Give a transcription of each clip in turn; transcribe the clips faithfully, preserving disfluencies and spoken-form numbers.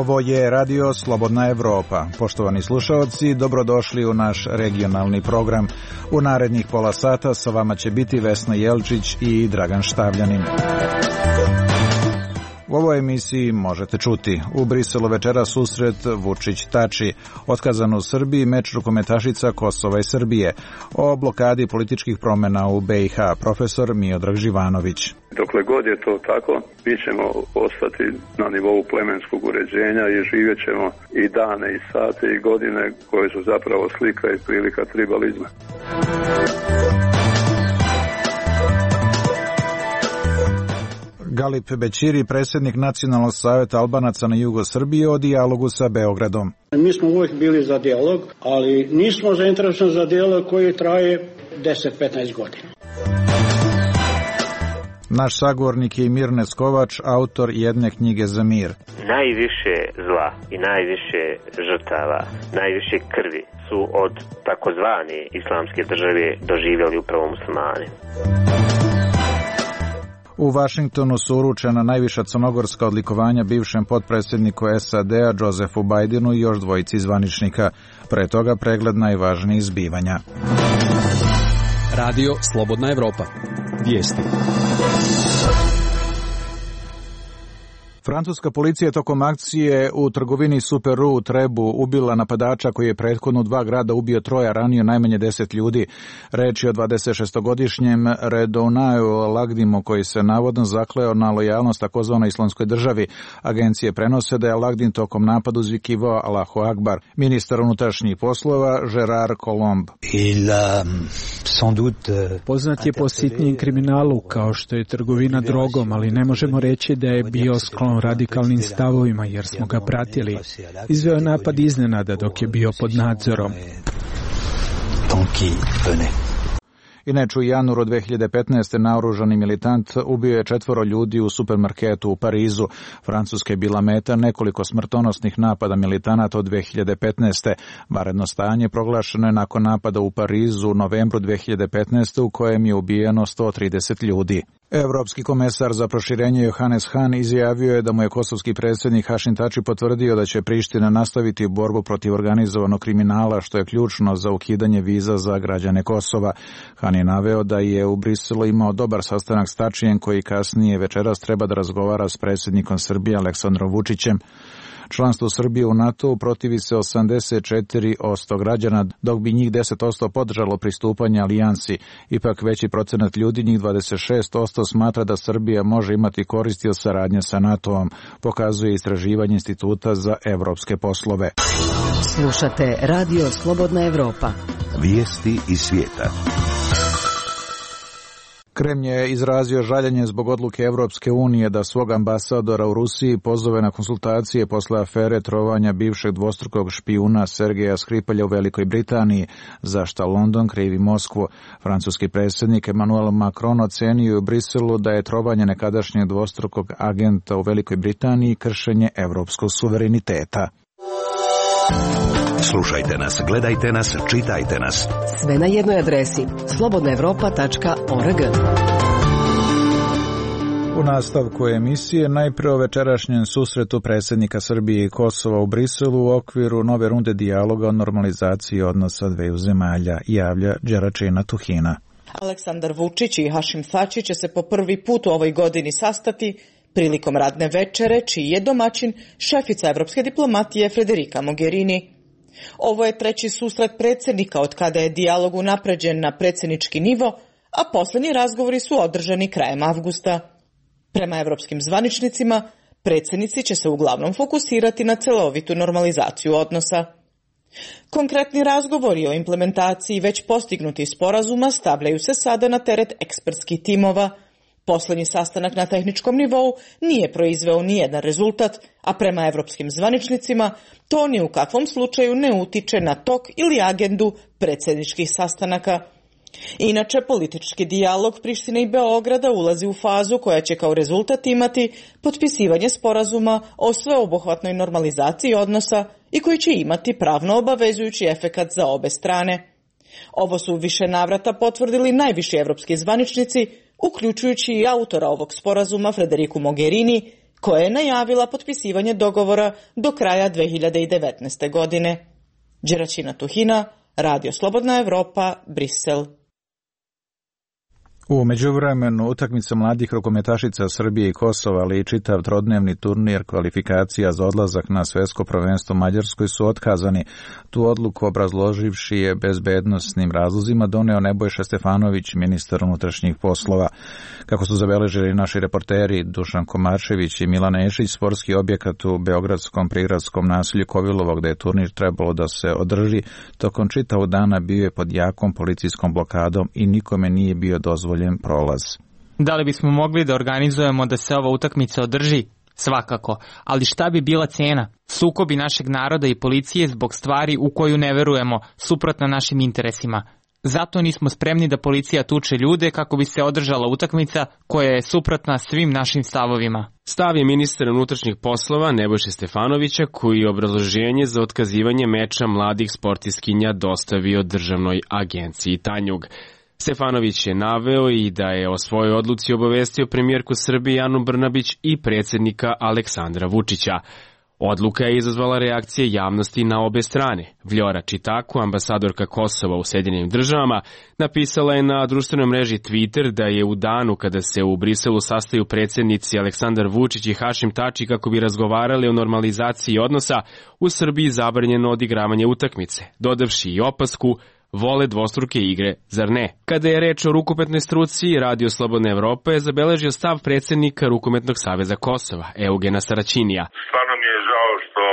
Ovo je Radio Slobodna Evropa. Poštovani slušaoci, dobrodošli u naš regionalni program. U narednih pola sata sa vama će biti Vesna Jelčić i Dragan Štavljanin. U ovoj emisiji možete čuti: u Briselu večera susret Vučić-Tači, otkazan u Srbiji meč rukometašica Kosova i Srbije, o blokadi političkih promjena u B i H, profesor Miodrag Živanović. Dokle god je to tako, mi ćemo ostati na nivou plemenskog uređenja i živjet ćemo i dane, i sate, i godine koje su zapravo slika i prilika tribalizma. Galip Bećiri, predsjednik Nacionalnog savjeta Albanaca na jugu Srbije, o dijalogu sa Beogradom. Mi smo uvijek bili za dijalog, ali nismo zainteresovani za dijalog koji traje deset do petnaest godina. Naš sagovornik je Mir Neskovač, autor jedne knjige za mir. Najviše zla i najviše žrtava, najviše krvi su od takozvane islamske države doživjeli upravo muslimani. U Vašingtonu su uručena najviša crnogorska odlikovanja bivšem potpredsjedniku S A D-a Josefu Bajdenu i još dvojici zvaničnika. Pre toga pregled najvažnijih zbivanja. Radio Slobodna Evropa. Vijesti. Francuska policija je tokom akcije u trgovini Super U u Trebu ubila napadača koji je prethodno dva grada ubio troje, ranio najmanje deset ljudi. Reč je o dvadesetšestogodišnjem Redounaju Lagdimu koji se navodno zakleo na lojalnost takozvanoj islamskoj državi. Agencije prenose da je Lagdim tokom napadu uzvikivao Allahu Akbar. Ministar unutrašnjih poslova Gerard Colomb. Poznat je po sitnijem kriminalu kao što je trgovina drogom, ali ne možemo reći da je bio sklon radikalnim stavovima jer smo ga pratili. Izveo napad iznenada dok je bio pod nadzorom. Inače, u januaru dve hiljade petnaeste. naoružani militant ubio je četvoro ljudi u supermarketu u Parizu. Francuska je bila meta nekoliko smrtonosnih napada militanata od dve hiljade petnaeste. Vanredno stanje proglašeno je nakon napada u Parizu u novembru dve hiljade petnaeste. u kojem je ubijeno sto trideset ljudi. Evropski komesar za proširenje Johannes Hahn izjavio je da mu je kosovski predsjednik Hašim Tači potvrdio da će Priština nastaviti borbu protiv organizovanog kriminala, što je ključno za ukidanje viza za građane Kosova. Hahn je naveo da je u Briselu imao dobar sastanak s Tačijem, koji kasnije večeras treba da razgovara s predsjednikom Srbije Aleksandrom Vučićem. Članstvo Srbije u NATO protivi se osamdeset četiri posto građana, dok bi njih deset posto podržalo pristupanje alijansi. Ipak veći procenat ljudi, njih dvadeset šest posto, smatra da Srbija može imati koristi od saradnje sa NATO-om, pokazuje istraživanje Instituta za evropske poslove. Slušate Radio Slobodna Evropa. Vijesti iz svijeta. Kremlj je izrazio žaljenje zbog odluke Evropske unije da svog ambasadora u Rusiji pozove na konsultacije posle afere trovanja bivšeg dvostrukog špijuna Sergeja Skripalja u Velikoj Britaniji, za šta London krivi Moskvu. Francuski predsjednik Emmanuel Macron ocenio u Briselu da je trovanje nekadašnjeg dvostrukog agenta u Velikoj Britaniji kršenje evropskog suvereniteta. Slušajte nas, gledajte nas, čitajte nas. Sve na jednoj adresi: slobodna evropa tačka org. U nastavku emisije najprije o večerašnjem susretu predsjednika Srbije i Kosova u Briselu u okviru nove runde dijaloga o normalizaciji odnosa dveju zemalja, javlja Đeračina Tuhina. Aleksandar Vučić i Hašim Tači će se po prvi put u ovoj godini sastati prilikom radne večere, čiji je domaćin šefica evropske diplomatije Federica Mogherini. Ovo je treći susret predsjednika od kada je dijalog unapređen na predsjednički nivo, a posljednji razgovori su održani krajem avgusta. Prema evropskim zvaničnicima, predsjednici će se uglavnom fokusirati na celovitu normalizaciju odnosa. Konkretni razgovori o implementaciji već postignutih sporazuma stavljaju se sada na teret ekspertskih timova. Posljednji sastanak na tehničkom nivou nije proizveo nijedan rezultat, a prema evropskim zvaničnicima to ni u kakvom slučaju ne utiče na tok ili agendu predsjedničkih sastanaka. Inače, politički dijalog Prištine i Beograda ulazi u fazu koja će kao rezultat imati potpisivanje sporazuma o sveobuhvatnoj normalizaciji odnosa i koji će imati pravno obavezujući efekat za obe strane. Ovo su u više navrata potvrdili najviši evropski zvaničnici, uključujući i autora ovog sporazuma Federicu Mogherini, koja je najavila potpisivanje dogovora do kraja dve hiljade devetnaeste. godine. Đeraćina Tuhina, Radio Slobodna Evropa, Brisel. U međuvremenu utakmica mladih rukometašica Srbije i Kosova, ali i čitav trodnevni turnir kvalifikacija za odlazak na svetsko prvenstvo Mađarskoj su otkazani. Tu odluku obrazloživši je bezbednosnim razlozima doneo Nebojša Stefanović, ministar unutrašnjih poslova. Kako su zabeležili naši reporteri Dušan Komarčević i Milan Ešić, sportski objekat u beogradskom prigradskom naselju Kovilovo, gde je turnir trebalo da se održi, tokom čitavog dana bio je pod jakom policijskom blokadom i nikome nije bio dozvoljen prolaz. Da li bismo mogli da organizujemo da se ova utakmica održi? Svakako, ali šta bi bila cena? Sukobi našeg naroda i policije zbog stvari u koju ne verujemo, suprotno našim interesima. Zato nismo spremni da policija tuče ljude kako bi se održala utakmica koja je suprotna svim našim stavovima. Stav je ministar unutrašnjih poslova Nebojše Stefanovića, koji je obrazloženje za otkazivanje meča mladih sportistkinja dostavio državnoj agenciji Tanjug. Stefanović je naveo i da je o svojoj odluci obavestio premijerku Srbije Anu Brnabić i predsjednika Aleksandra Vučića. Odluka je izazvala reakcije javnosti na obe strane. Vljora Čitaku, ambasadorka Kosova u Sjedinjenim državama, napisala je na društvenoj mreži Twitter da je u danu kada se u Briselu sastaju predsjednici Aleksandar Vučić i Hašim Tači kako bi razgovarali o normalizaciji odnosa, u Srbiji zabranjeno odigravanje utakmice, dodavši i opasku: vole dvostruke igre, zar ne? Kada je reč o rukometnoj struci, Radio Slobodna Evropa je zabeležio stav predsjednika Rukometnog saveza Kosova, Eugena Saraćinija. Stvarno mi je žao što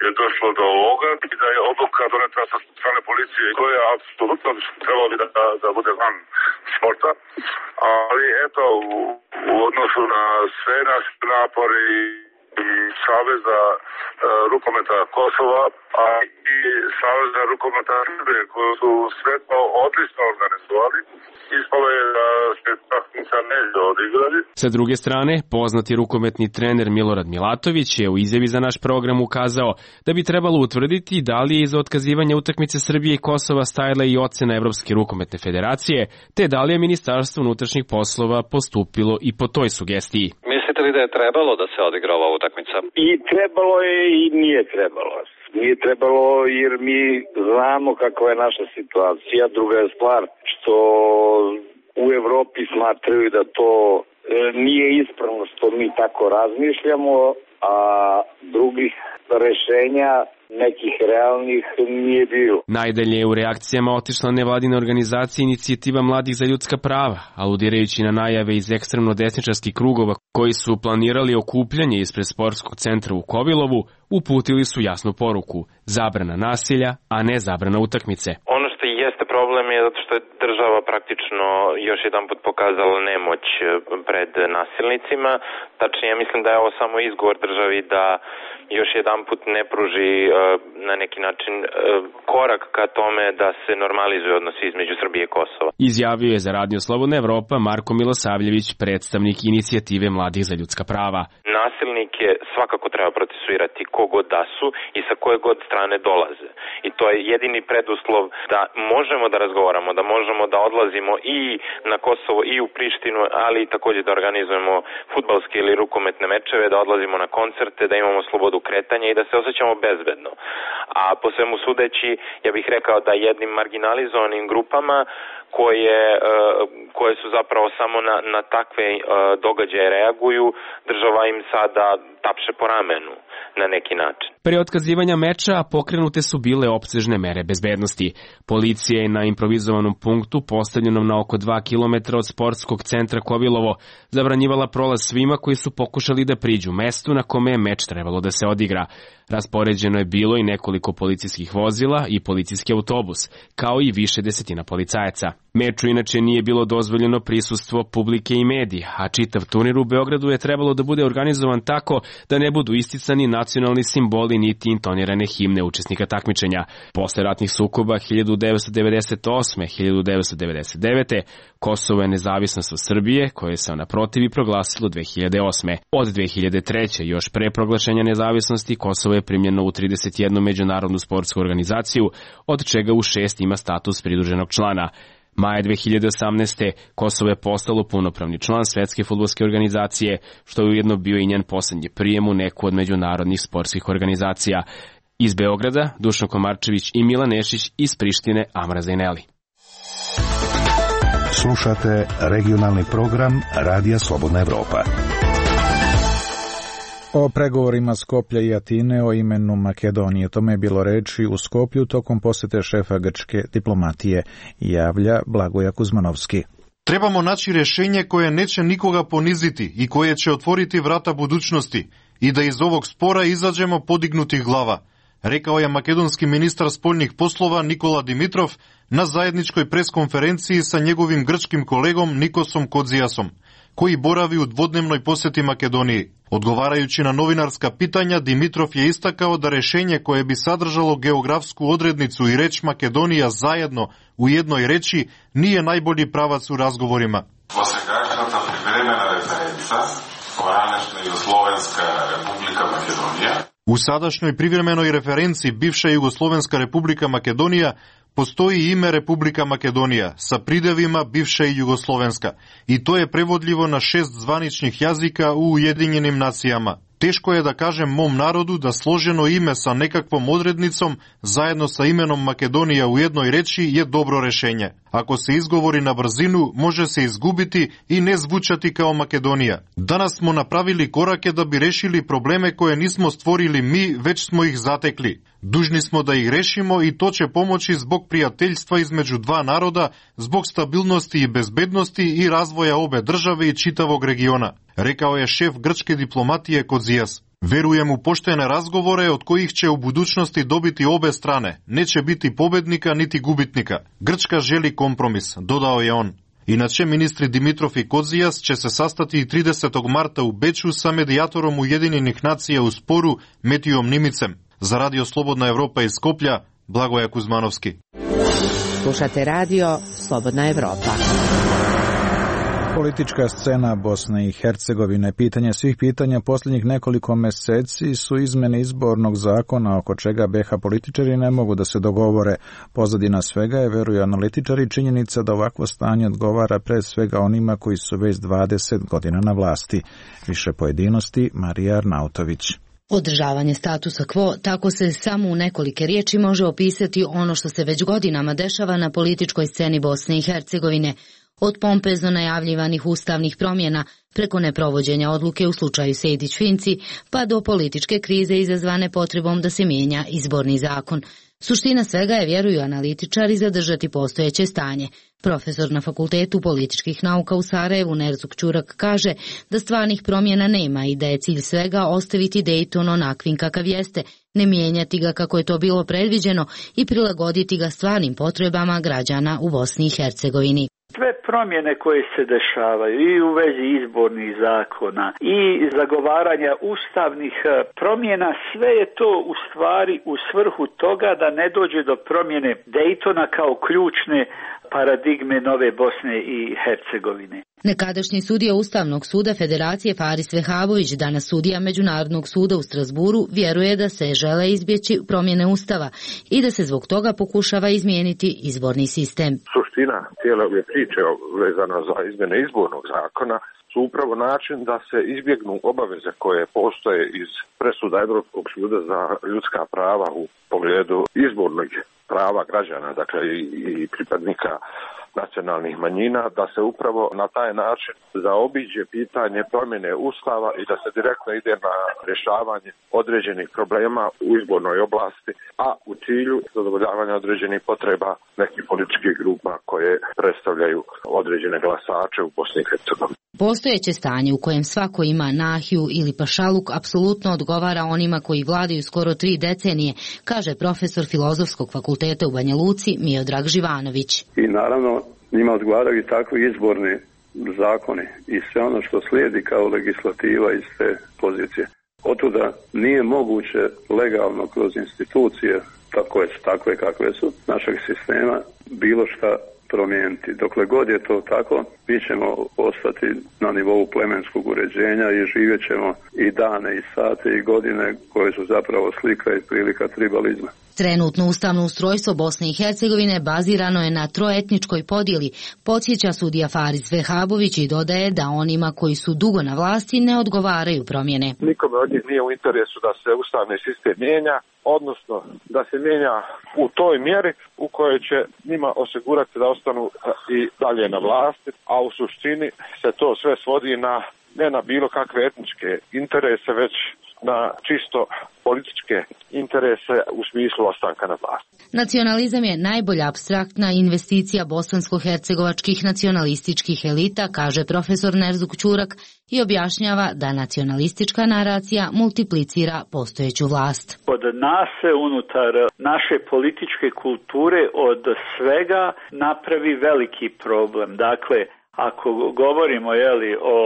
je došlo do ovoga i da je odluka doneta sa strane policije koja apsolutno trebalo bi da, da bude van sporta. Ali eto, u, u odnosu na sve naše napore i i Saveza uh, rukometa Kosova, a i Saveza rukometa Srbije, koji su sve to odlično organizovali, ispalo je da se takmica neće odigrati. Sa druge strane, poznati rukometni trener Milorad Milatović je u izjavi za naš program ukazao da bi trebalo utvrditi da li je iza otkazivanja utakmice Srbije i Kosova stajala i ocena Evropske rukometne federacije, te da li je Ministarstvo unutrašnjih poslova postupilo i po toj sugestiji. Mislite li da je trebalo da se odigra ova utakmica? I trebalo je i nije trebalo. Nije trebalo jer mi znamo kakva je naša situacija. Druga je stvar što u Evropi smatraju da to nije ispravno što mi tako razmišljamo, a drugih rešenja nekih realnih nije bilo. Najdalje je u reakcijama otišla nevladina organizacija Inicijativa mladih za ljudska prava, aludirajući na najave iz ekstremno desničarskih krugova koji su planirali okupljanje ispred sportskog centra u Kovilovu, uputili su jasnu poruku: zabrana nasilja, a ne zabrana utakmice. Ono što jeste problem je zato što je država praktično još jedan put pokazala nemoć pred nasilnicima. Tačnije, ja mislim da je ovo samo izgovor državi da još jedan put ne pruži na neki način korak ka tome da se normalizuje odnosi između Srbije i Kosova. Izjavio je za Radio Slobodna Evropa Marko Milosavljević, predstavnik Inicijative mladih za ljudska prava. Nasilnike svakako treba procesuirati kogod da su i sa koje god strane dolaze. I to je jedini preduslov da možemo da razgovaramo, da možemo da odlazimo i na Kosovo i u Prištinu, ali i također da organizujemo fudbalske ili rukometne mečeve, da odlazimo na koncerte, da imamo slobodu kretanja i da se osjećamo bezbedno. A po svemu sudeći, ja bih rekao da jednim marginalizovanim grupama koje, koje su zapravo samo na, na takve događaje reaguju, država im sada tapše po ramenu na neki način. Pre otkazivanja meča pokrenute su bile opsežne mere bezbednosti. Policija je na improvizovanom punktu, postavljenom na oko dva kilometra od sportskog centra Kovilovo, zabranjivala prolaz svima koji su pokušali da priđu mestu na kome je meč trebalo da se odigra. Raspoređeno je bilo i nekoliko policijskih vozila i policijski autobus, kao i više desetina policajaca. Meču inače nije bilo dozvoljeno prisustvo publike i medija, a čitav turnir u Beogradu je trebalo da bude organizovan tako da ne budu isticani nacionalni simboli niti intonirane himne učesnika takmičenja. Posle ratnih sukoba hiljadu devetsto devedeset osme do hiljadu devetsto devedeset devete Kosovo je nezavisnost od Srbije, koje se naprotiv i proglasilo dve hiljade osme. Od dve hiljade treće još pre proglašenja nezavisnosti, Kosovo je primljeno u trideset jednu međunarodnu sportsku organizaciju, od čega u šest ima status pridruženog člana. Maja dve hiljade osamnaeste. Kosovo je postalo punopravni član Svetske fudbalske organizacije, što je ujedno bio i njen poslednji prijem u neku od međunarodnih sportskih organizacija. Iz Beograda Dušan Komarčević i Milan Nešić, iz Prištine Amra Zajneli. Slušate regionalni program Radija Slobodna Evropa. O pregovorima Skoplja i Atine o imenu Makedonije. O tome je bilo reči u Skoplju tokom posete šefa grčke diplomatije, javlja Blagoja Kuzmanovski. Trebamo naći rješenje koje neće nikoga poniziti i koje će otvoriti vrata budućnosti i da iz ovog spora izađemo podignutih glava, rekao je makedonski ministar spoljnih poslova Nikola Dimitrov na zajedničkoj preskonferenciji sa njegovim grčkim kolegom Nikosom Kodzijasom, koji boravi u dvodnevnoj posjeti Makedoniji. Odgovarajući na novinarska pitanja, Dimitrov je istakao da rješenje koje bi sadržalo geografsku odrednicu i reč Makedonija zajedno u jednoj reči nije najbolji pravac u razgovorima. Dosegашната privremena referenca današnja Jugoslovenska republika Makedonija. U sadašnjoj privremenoj referenciji bivša Jugoslovenska republika Makedonija postoji ime Republika Makedonija sa pridevima bivša i Jugoslovenska i to je prevodljivo na šest zvaničnih jazika u Ujedinjenim nacijama. Teško je da kažem mom narodu da složeno ime sa nekakvom odrednicom zajedno sa imenom Makedonija u jednoj reči je dobro rešenje. Ako se izgovori na brzinu, može se izgubiti i ne zvučati kao Makedonija. Danas smo napravili korake da bi rešili probleme koje nismo stvorili mi, već smo ih zatekli. Dužni smo da ih rešimo i to će pomoći zbog prijateljstva između dva naroda, zbog stabilnosti i bezbednosti i razvoja obe države i čitavog regiona, rekao je šef grčke diplomatije Kodzijas. Verujem u poštene razgovore od kojih će u budućnosti dobiti obe strane. Neće biti pobednika niti gubitnika. Grčka želi kompromis, dodao je on. Inače, ministri Dimitrov i Kodzijas će se sastati tridesetog marta u Beču sa medijatorom Ujedinjenih nacija u sporu Metijom Nimicem. Za Radio Slobodna Evropa iz Skoplja, Blagoja Kuzmanovski. Slušate Radio Slobodna Evropa. Politička scena Bosne i Hercegovine. Pitanje svih pitanja posljednjih nekoliko meseci su izmene izbornog zakona oko čega be ha političari ne mogu da se dogovore. Pozadina svega je, veruju analitičari, činjenica da ovakvo stanje odgovara pre svega onima koji su već dvadeset godina na vlasti. Više pojedinosti, Marija Arnautović. Održavanje statusa quo, tako se samo u nekolike riječi može opisati ono što se već godinama dešava na političkoj sceni Bosne i Hercegovine, od pompezno najavljivanih ustavnih promjena preko neprovođenja odluke u slučaju Sejdić-Finci, pa do političke krize izazvane potrebom da se mijenja izborni zakon. Suština svega je, vjeruju analitičari, zadržati postojeće stanje. Profesor na Fakultetu političkih nauka u Sarajevu Nerzuk Ćurak kaže da stvarnih promjena nema i da je cilj svega ostaviti Dejton onakvim kakav jeste, ne mijenjati ga kako je to bilo predviđeno i prilagoditi ga stvarnim potrebama građana u Bosni i Hercegovini. Sve promjene koje se dešavaju i u vezi izbornih zakona i zagovaranja ustavnih promjena, sve je to u stvari u svrhu toga da ne dođe do promjene Dejtona kao ključne paradigme nove Bosne i Hercegovine. Nekadašnji sudija Ustavnog suda Federacije Faris Vehavović, danas sudija Međunarodnog suda u Strasburu, vjeruje da se žele izbjeći promjene Ustava i da se zbog toga pokušava izmijeniti izborni sistem. Suština cijele ove priče vezana za izmjene izbornog zakona su upravo način da se izbjegnu obaveze koje postoje iz presuda Europskog suda za ljudska prava u pogledu izbornog prava građana, dakle i pripadnika nacionalnih manjina, da se upravo na taj način zaobiđe pitanje promjene Ustava i da se direktno ide na rješavanje određenih problema u izbornoj oblasti, a u cilju zadovoljavanja određenih potreba nekih političkih grupa koje predstavljaju određene glasače u Bosni i Hercegovini. Postojeće stanje u kojem svako ima nahiju ili pašaluk apsolutno odgovara onima koji vladaju skoro tri decenije, kaže profesor Filozofskog fakulteta u Banja Luci Miodrag Živanović. I naravno njima odgovaraju takvi izborni zakoni i sve ono što slijedi kao legislativa iz te pozicije. Otuda nije moguće legalno kroz institucije, koje su takve kakve su, našeg sistema, bilo šta promijeniti. Dokle god je to tako, mi ćemo ostati na nivou plemenskog uređenja i živjet ćemo i dane i sate i godine koje su zapravo slika i prilika tribalizma. Trenutno ustavno ustrojstvo Bosne i Hercegovine bazirano je na troetničkoj podjeli, podsjeća sudija Faris Vehabović i dodaje da onima koji su dugo na vlasti ne odgovaraju promjene. Nikome od njih nije u interesu da se ustavni sistem mijenja, odnosno da se mijenja u toj mjeri u kojoj će njima osigurati da ostanu i dalje na vlasti, a u suštini se to sve svodi na ne na bilo kakve etničke interese, već na čisto političke interese u smislu ostanka na vlasti. Nacionalizam je najbolja apstraktna investicija bosansko-hercegovačkih nacionalističkih elita, kaže profesor Nerzuk Ćurak i objašnjava da nacionalistička naracija multiplicira postojeću vlast. Od nas se unutar naše političke kulture od svega napravi veliki problem. Dakle, ako govorimo jeli, o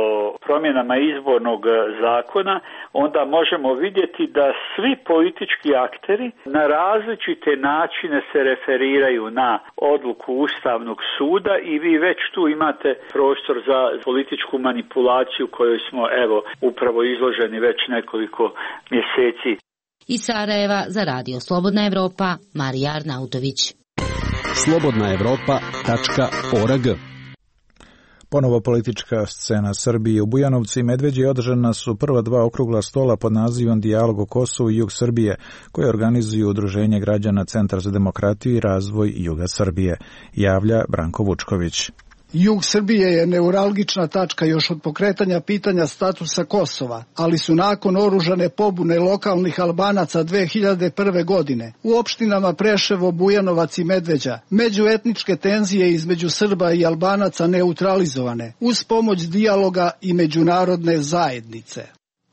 promjenama izbornog zakona, onda možemo vidjeti da svi politički akteri na različite načine se referiraju na odluku Ustavnog suda i vi već tu imate prostor za političku manipulaciju kojoj smo evo upravo izloženi već nekoliko mjeseci. Iz Sarajeva za Radio Slobodna Evropa, Marija Arnautović. slobodna evropa tačka org. Ponovo politička scena Srbije. U Bujanovcu i Medveđi održana su prva dva okrugla stola pod nazivom Dijalog o Kosovu i Jug Srbije, koje organizuju Udruženje građana Centar za demokratiju i razvoj Juga Srbije, javlja Branko Vučković. Jug Srbije je neuralgična tačka još od pokretanja pitanja statusa Kosova, ali su nakon oružane pobune lokalnih Albanaca dve hiljade prve. godine u opštinama Preševo, Bujanovac i Medveđa međuetničke tenzije između Srba i Albanaca neutralizovane uz pomoć dijaloga i međunarodne zajednice.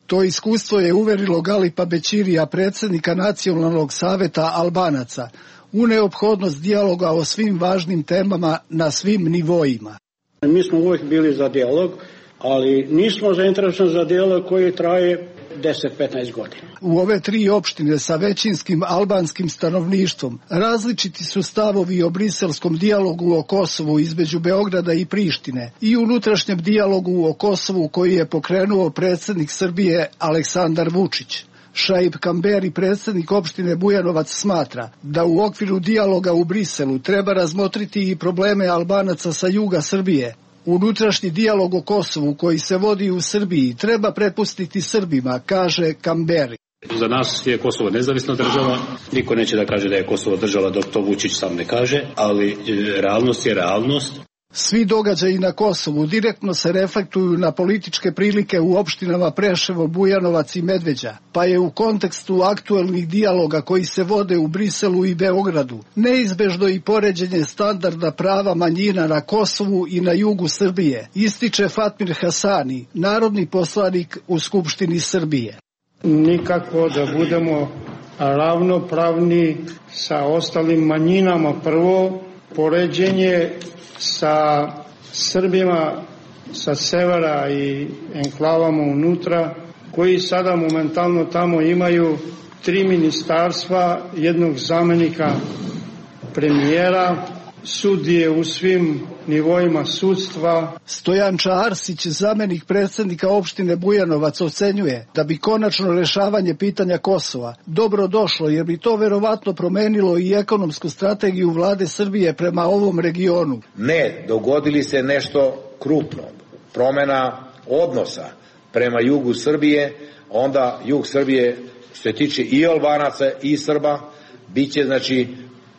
To iskustvo je uverilo Galipa Bećirija, predsjednika Nacionalnog saveta Albanaca, u neophodnost dijaloga o svim važnim temama na svim nivoima. Mi smo uvijek bili za dijalog, ali nismo zainteresovani za dijalog koji traje deset do petnaest godina. U ove tri opštine sa većinskim albanskim stanovništvom različiti su stavovi o briselskom dijalogu o Kosovu između Beograda i Prištine i unutrašnjem dijalogu o Kosovu koji je pokrenuo predsjednik Srbije Aleksandar Vučić. Šaip Kamberi, predsjednik opštine Bujanovac, smatra da u okviru dijaloga u Briselu treba razmotriti i probleme Albanaca sa juga Srbije. Unutrašnji dijalog o Kosovu koji se vodi u Srbiji treba prepustiti Srbima, kaže Kamberi. Za nas je Kosovo nezavisna država, niko neće da kaže da je Kosovo država dok to Vučić sam ne kaže, ali realnost je realnost. Svi događaji na Kosovu direktno se reflektuju na političke prilike u opštinama Preševo, Bujanovac i Medveđa, pa je u kontekstu aktuelnih dijaloga koji se vode u Briselu i Beogradu neizbežno i poređenje standarda prava manjina na Kosovu i na jugu Srbije, ističe Fatmir Hasani, narodni poslanik u Skupštini Srbije. Nikako da budemo ravnopravni sa ostalim manjinama. Prvo, poređenje sa Srbima sa severa i enklavama unutra, koji sada momentalno tamo imaju tri ministarstva, jednog zamenika premijera, sudije u svim nivoima sudstva. Stojanča Arsić, zamenik predsjednika opštine Bujanovac, ocenjuje da bi konačno rešavanje pitanja Kosova dobro došlo, jer bi to verovatno promenilo i ekonomsku strategiju vlade Srbije prema ovom regionu. Ne, dogodili se nešto krupno, promjena odnosa prema jugu Srbije, onda jug Srbije, što se tiče i Albanaca i Srba, bit će znači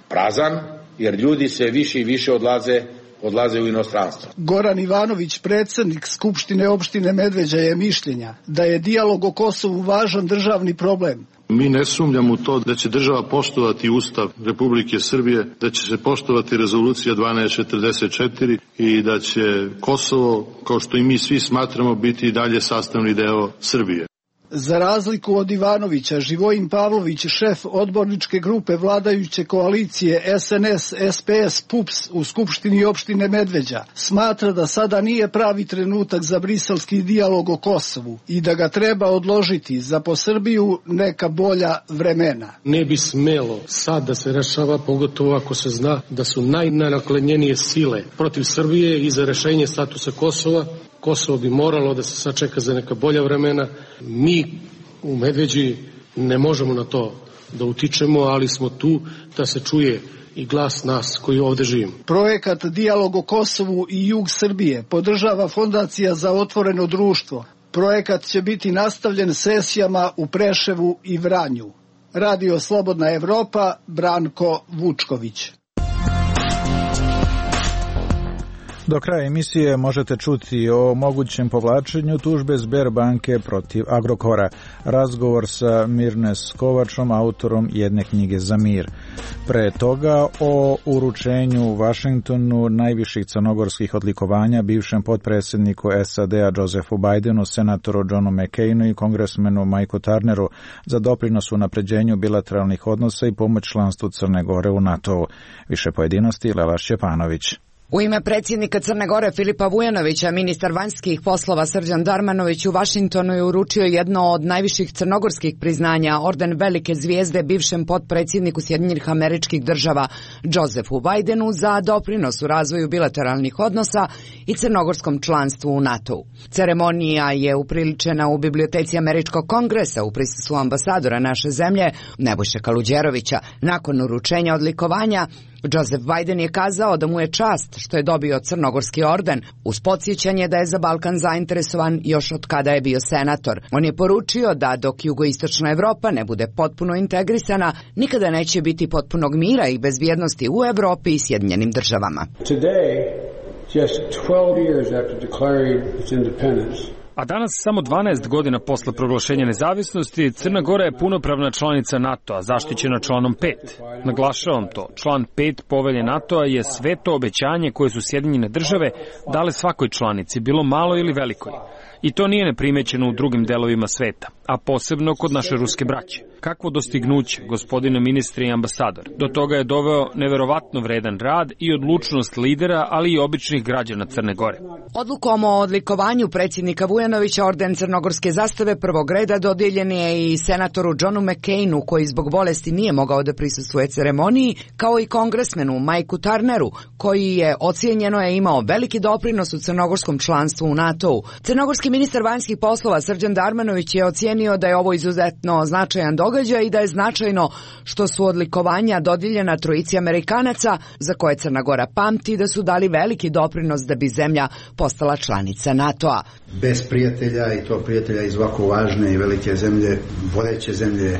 prazan, jer ljudi sve više i više odlaze, odlaze u inostranstvo. Goran Ivanović, predsjednik Skupštine opštine Medveđa, je mišljenja da je dijalog o Kosovu važan državni problem. Mi ne sumnjamo u to da će država poštovati Ustav Republike Srbije, da će se poštovati rezolucija dvanaest četrdeset četiri i da će Kosovo, kao što i mi svi smatramo, biti i dalje sastavni deo Srbije. Za razliku od Ivanovića, Živojin Pavlović, šef odborničke grupe vladajuće koalicije S N S S P S P U P S u Skupštini opštine Medveđa, smatra da sada nije pravi trenutak za briselski dijalog o Kosovu i da ga treba odložiti za po Srbiju neka bolja vremena. Ne bi smelo sad da se rešava, pogotovo ako se zna da su najnaklenjenije sile protiv Srbije i za rešenje statusa Kosova. Kosovo bi moralo da se sačeka za neka bolja vremena. Mi u Medveđi ne možemo na to da utičemo, ali smo tu da se čuje i glas nas koji ovde živimo. Projekat Dijalog o Kosovu i jug Srbije podržava Fondacija za otvoreno društvo. Projekat će biti nastavljen sesijama u Preševu i Vranju. Radio Slobodna Evropa, Branko Vučković. Do kraja emisije možete čuti o mogućem povlačenju tužbe Sberbanke protiv Agrokora. Razgovor sa Mirnes Kovačom, autorom jedne knjige za mir. Pre toga o uručenju u Vašingtonu najviših crnogorskih odlikovanja bivšem potpredsjedniku S A D-a Josephu Bidenu, senatoru Johnu McCainu i kongresmenu Mikeu Turneru za doprinos u napređenju bilateralnih odnosa i pomoć članstvu Crne Gore u NATO-u. Više pojedinosti Lela Šćepanović. U ime predsjednika Crne Gore Filipa Vujanovića, ministar vanjskih poslova Srđan Darmanović u Vašingtonu je uručio jedno od najviših crnogorskih priznanja, orden velike zvijezde bivšem potpredsjedniku Sjedinjenih Američkih Država Josephu Bidenu za doprinos u razvoju bilateralnih odnosa i crnogorskom članstvu u NATO-u. Ceremonija je upriličena u biblioteci Američkog kongresa u prisustvu ambasadora naše zemlje Nebojše Kaluđerovića. Nakon uručenja odlikovanja Joseph Biden je kazao da mu je čast što je dobio crnogorski orden, uz podsjećanje da je za Balkan zainteresovan još od kada je bio senator. On je poručio da dok jugoistočna Evropa ne bude potpuno integrisana, nikada neće biti potpunog mira i bezbjednosti u Evropi i Sjedinjenim Državama. Today, just twelve years after declaring its independence, A danas, samo dvanaest godina posle proglašenja nezavisnosti, Crna Gora je punopravna članica NATO-a, zaštićena članom pet. Naglašavam to, član pet povelje NATO-a je sveto obećanje koje su Sjedinjene Države dale svakoj članici, bilo malo ili velikoj. I to nije neprimećeno u drugim delovima sveta, a posebno kod naše ruske braće. Kakvo dostignuće, gospodine ministre i ambasador. Do toga je doveo neverovatno vredan rad i odlučnost lidera, ali i običnih građana Crne Gore. Odlukom o odlikovanju predsjednika Vujanovića orden crnogorske zastave prvog reda dodijeljen je i senatoru Johnu McCainu, koji zbog bolesti nije mogao da prisustvuje ceremoniji, kao i kongresmenu Mikeu Turneru, koji je ocijenjeno je imao veliki doprinos u crnogorskom članstvu u NATO-u. Crnogorski ministar vanjskih poslova Srđan Darmanović je ocijenio da je ovo izuzetno značajan događaj i da je značajno što su odlikovanja dodijeljena trojici Amerikanaca, za koje Crna Gora pamti da su dali veliki doprinos da bi zemlja postala članica NATO-a. Bez prijatelja, i to prijatelja iz ovako važne i velike zemlje, vodeće zemlje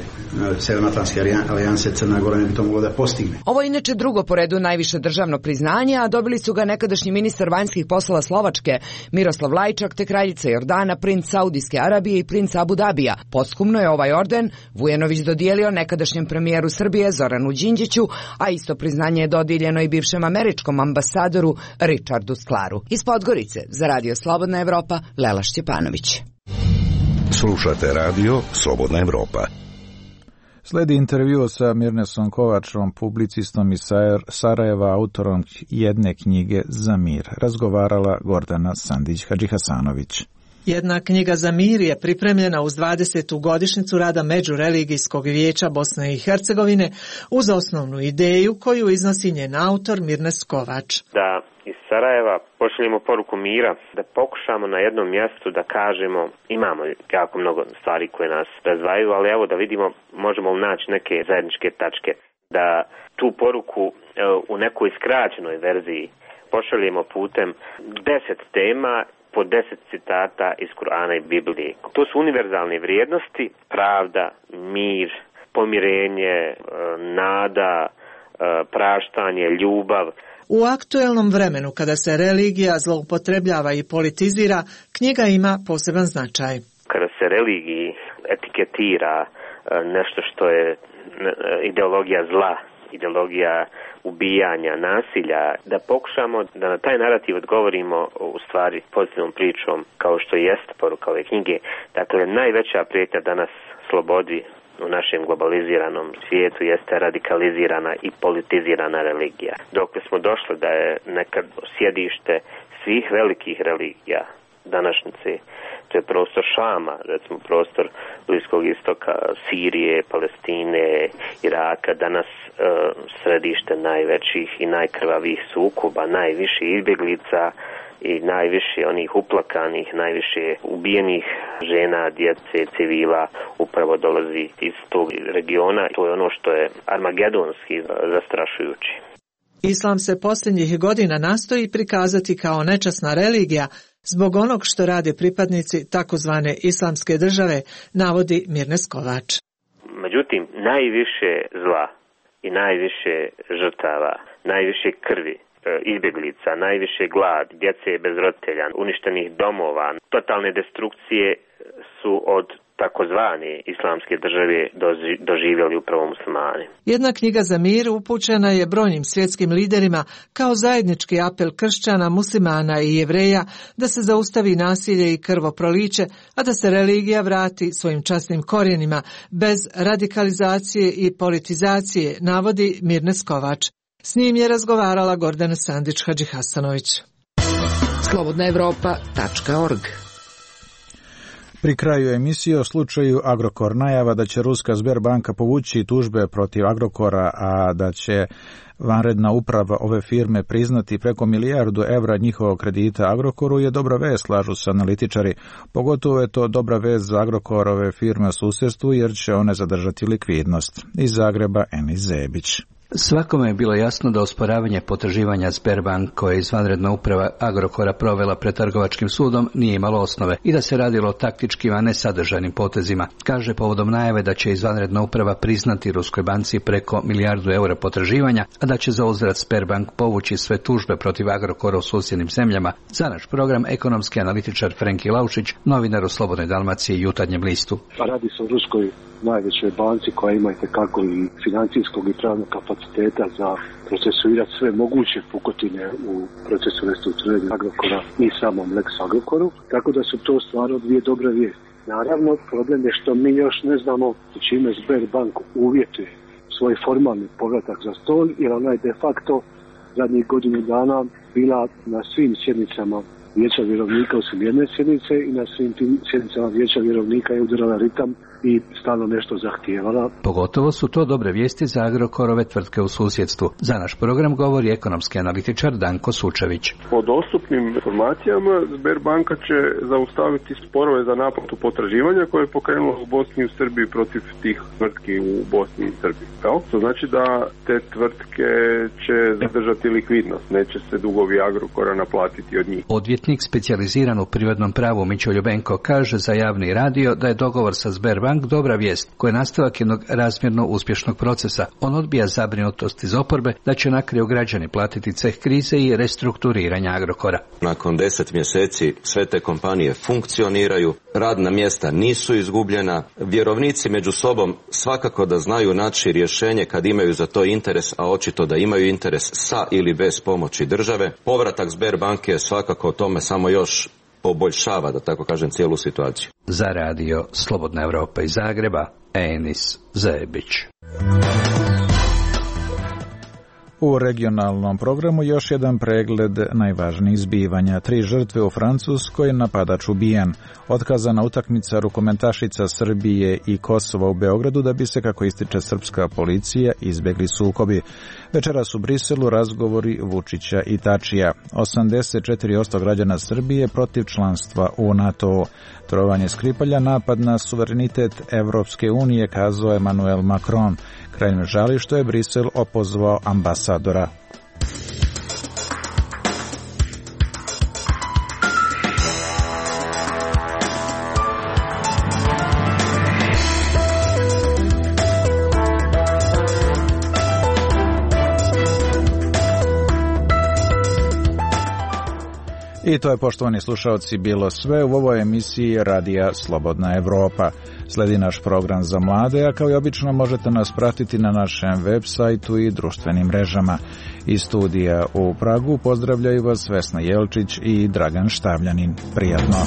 Severnoatlantske alijanse, Crna Gora ne bi to moglo da postigne. Ovo je inače drugo po redu najviše državno priznanje, a dobili su ga nekadašnji ministar vanjskih poslova Slovačke Miroslav Lajčak te kraljica Jordana, princ Saudijske Arabije i princ Abu Dabija. Posthumno je ovaj orden Vujanović dodijelio nekadašnjem premijeru Srbije Zoranu Đinđiću, a isto priznanje je dodijeljeno i bivšem američkom ambasadoru Richardu Sklaru. Iz Podgorice za Radio Slobodna Evropa, Lela Šćepanović. Slušate radio Slobodna Evropa. Sledi intervju sa Mirnesom Kovačom, publicistom iz Sarajeva, autorom jedne knjige za mir. Razgovarala Gordana Sandić-Hadžihasanović. Jedna knjiga za mir je pripremljena uz dvadesetu godišnjicu rada Međureligijskog vijeća Bosne i Hercegovine uz osnovnu ideju koju iznosi njen autor Mirnes Kovač. Da iz Sarajeva pošaljemo poruku mira, da pokušamo na jednom mjestu da kažemo imamo jako mnogo stvari koje nas razdvajaju, ali evo da vidimo možemo li naći neke zajedničke tačke. Da tu poruku u nekoj skraćenoj verziji pošaljemo putem deset tema po deset citata iz Kur'ana i Biblije. To su univerzalne vrijednosti, pravda, mir, pomirenje, nada, praštanje, ljubav. U aktuelnom vremenu kada se religija zloupotrebljava i politizira, knjiga ima poseban značaj. Kada se religiji etiketira nešto što je ideologija zla, ideologija ubijanja, nasilja, da pokušamo da na taj narativ odgovorimo u stvari pozitivnom pričom kao što jeste poruka ove knjige. Dakle, najveća prijetnja danas slobodi u našem globaliziranom svijetu jeste radikalizirana i politizirana religija. Dok smo došli da je nekad sjedište svih velikih religija današnjice, to je prostor Šama, recimo prostor Bliskog istoka, Sirije, Palestine, Iraka, danas e, središte najvećih i najkrvavijih sukoba, najviših izbjeglica i najviše onih uplakanih, najviše ubijenih žena, djece, civila upravo dolazi iz tog regiona. To je ono što je armagedonski zastrašujući. Islam se posljednjih godina nastoji prikazati kao nečasna religija zbog onog što rade pripadnici takozvane islamske države, navodi Mirnes Kovač. Međutim, najviše zla i najviše žrtava, najviše krvi, izbjeglica, najviše glad, djece bez roditelja, uništenih domova, totalne destrukcije su od takozvane islamske države doživjeli upravo muslimani. Jedna knjiga za mir upućena je brojnim svjetskim liderima kao zajednički apel kršćana, muslimana i jevreja da se zaustavi nasilje i krvoproliće, a da se religija vrati svojim časnim korijenima bez radikalizacije i politizacije, navodi Mirnes Kovač. S njim je razgovarala Gordana Sandić-Hadžihasanović. slobodna evropa tačka org. Pri kraju emisije o slučaju Agrokor najava da će ruska Sberbanka povući tužbe protiv Agrokora, a da će vanredna uprava ove firme priznati preko milijardu evra njihovog kredita Agrokoru je dobra vest, slažu se analitičari. Pogotovo je to dobra vest za Agrokorove firme u susjedstvu jer će one zadržati likvidnost. Iz Zagreba Enis Zebić. Svakome je bilo jasno da osporavanje potraživanja Sberbank koje je izvanredna uprava Agrokora provela pred trgovačkim sudom nije imalo osnove i da se radilo o taktičkim, a ne sadržajnim potezima. Kaže povodom najave da će izvanredna uprava priznati Ruskoj banci preko milijardu eura potraživanja, a da će za uzvrat Sberbank povući sve tužbe protiv Agrokora u susjednim zemljama. Za naš program ekonomski analitičar Frenki Laušić, novinar u Slobodnoj Dalmaciji i Jutarnjem listu. Radi se o Ruskoj najvećoj banci koja ima itekako i financijskog i pravnog kapaciteta za procesuirati sve moguće pukotine u procesu restrukturiranja Agrokora i samom Lex Agrokoru, tako da su to stvarno dvije dobre vijesti. Naravno, problem je što mi još ne znamo čime Sberbank uvjetuje svoj formalni povratak za stol, jer ona je de facto zadnjih godinu dana bila na svim sjednicama Vijeća vjerovnika osim jedne sjednice i na svim tim sjednicama Vijeća vjerovnika je udarala ritam i stalno nešto zahtijevala. Pogotovo su to dobre vijesti za Agrokorove tvrtke u susjedstvu. Za naš program govori ekonomski analitičar Danko Sučević. Po dostupnim informacijama Sberbanka će zaustaviti sporove za naplatu potraživanja koje je pokrenulo u Bosni i u Srbiji protiv tih tvrtki u Bosni i Srbiji. Evo, to znači da te tvrtke će zadržati likvidnost, neće se dugovi Agrokora naplatiti od njih. Odvjetnik specijaliziran u privatnom pravu Mićo Ljubenko kaže za javni radio da je dogovor sa Sberbank dobra vijest, koja je nastavak jednog razmjerno uspješnog procesa. On odbija zabrinutost iz oporbe da će na kraju građani platiti ceh krize i restrukturiranja Agrokora. Nakon deset mjeseci sve te kompanije funkcioniraju, radna mjesta nisu izgubljena, vjerovnici među sobom svakako da znaju naći rješenje kad imaju za to interes, a očito da imaju interes sa ili bez pomoći države. Povratak Sberbanke je svakako tome samo još poboljšava, da tako kažem, cijelu situaciju. Za radio Slobodna Evropa iz Zagreba, Enis Zebić. U regionalnom programu još jedan pregled najvažnijih zbivanja. Tri žrtve u Francuskoj, napadač ubijen. Otkazana utakmica rukometašica Srbije i Kosova u Beogradu da bi se, kako ističe srpska policija, izbjegli sukobi. Večeras u Briselu razgovori Vučića i Tačija. osamdeset četiri posto građana Srbije protiv članstva u NATO. Trovanje Skripalja, napad na suverenitet Evropske unije, kazao Emmanuel Macron. Kralj me žali što je Brisel opozvao ambasadora. I to je, poštovani slušalci, bilo sve u ovoj emisiji Radija Slobodna Evropa. Sledi naš program za mlade, a kao i obično možete nas pratiti na našem web sajtu i društvenim mrežama. Iz studija u Pragu pozdravljaju vas Vesna Jelčić i Dragan Štavljanin. Prijatno!